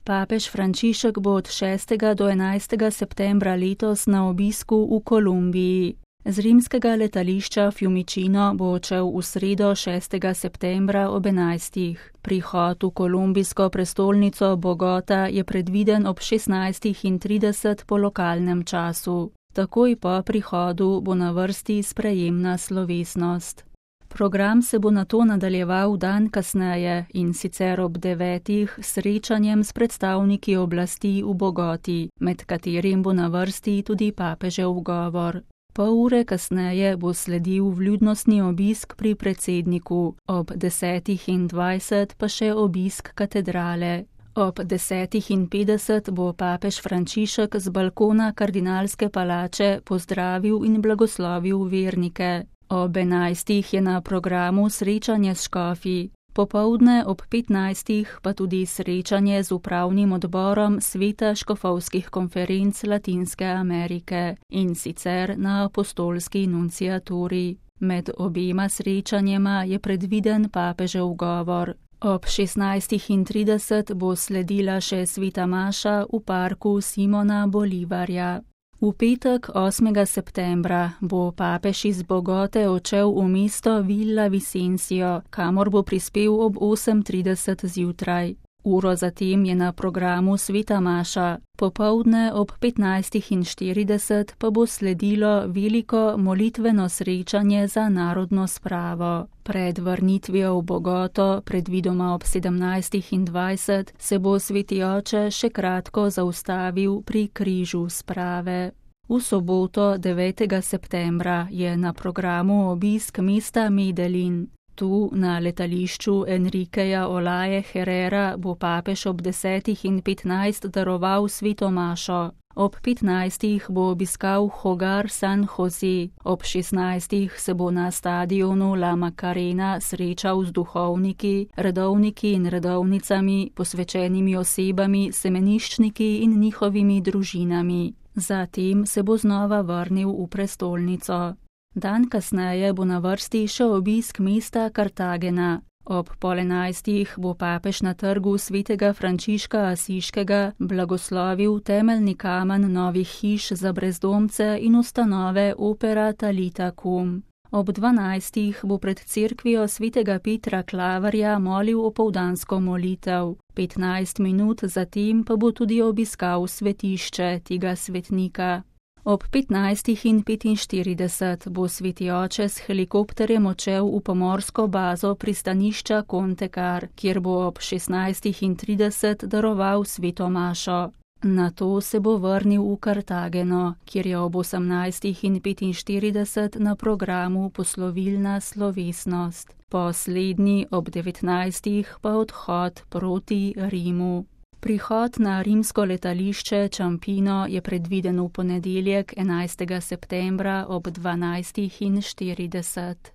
Papež Frančišek bo od 6. do 11. septembra letos na obisku v Kolumbiji. Z rimskega letališča Fiumicino bo odšel v sredo 6. septembra ob 11. Prihod v kolumbijsko prestolnico Bogota je predviden ob 16:30 po lokalnem času. Takoj po prihodu bo na vrsti sprejemna slovesnost. Program se bo nato nadaljeval dan kasneje, in sicer ob 9. srečanjem s predstavniki oblasti v Bogoti, med katerim bo na vrsti tudi papežev govor. Pol ure kasneje bo sledil vljudnostni obisk pri predsedniku, ob 10:20 pa še obisk katedrale. Ob 10:50 bo papež Frančišek z balkona kardinalske palače pozdravil in blagoslovil vernike. Ob 11. je na programu srečanje s škofi. Popoldne ob 15. pa tudi srečanje z upravnim odborom Sveta škofovskih konferenc Latinske Amerike, in sicer na apostolski nunciaturi. Med obema srečanjema je predviden papežev govor. Ob 16:30 bo sledila še sveta maša v parku Simona Bolivarja. V petek 8. septembra bo papež iz Bogote odšel v mesto Villa Vicencio, kamor bo prispel ob 8:30 zjutraj. Uro zatem je na programu sveta maša. Popoldne ob 15:40 pa bo sledilo veliko molitveno srečanje za narodno spravo. Pred vrnitvijo v Bogoto, predvidoma ob 17:20, se bo sveti oče še kratko zaustavil pri križu sprave. V soboto 9. septembra je na programu obisk mesta Medellin. Tu na letališču Enriqueja Olaje Herrera bo papež ob 10:15 daroval sveto mašo. Ob 15. bo obiskal Hogar San Jose. Ob 16. se bo na stadionu La Macarena srečal z duhovniki, redovniki in redovnicami, posvečenimi osebami, semeniščniki in njihovimi družinami. Zatem se bo znova vrnil v prestolnico. Dan kasneje bo na vrsti še obisk mesta Kartagena. Ob 11. bo papež na trgu svetega Frančiška Asiškega blagoslovil temeljni kamen novih hiš za brezdomce in ustanove Opera Talita Cum. Ob 12. bo pred cerkvijo svetega Petra Klaverja molil opoldansko molitev. 15 minut zatem pa bo tudi obiskal svetišče tega svetnika. Ob 15:45 bo sveti oče s helikopterjem odšel v pomorsko bazo pristanišča Contecar, kjer bo ob 16:30 daroval sveto mašo. Nato se bo vrnil v Kartageno, kjer je ob 18:45 na programu poslovilna slovesnost. Poslednji ob 19. pa odhod proti Rimu. Prihod na rimsko letališče Ciampino je predviden v ponedeljek 11. septembra ob 12:40.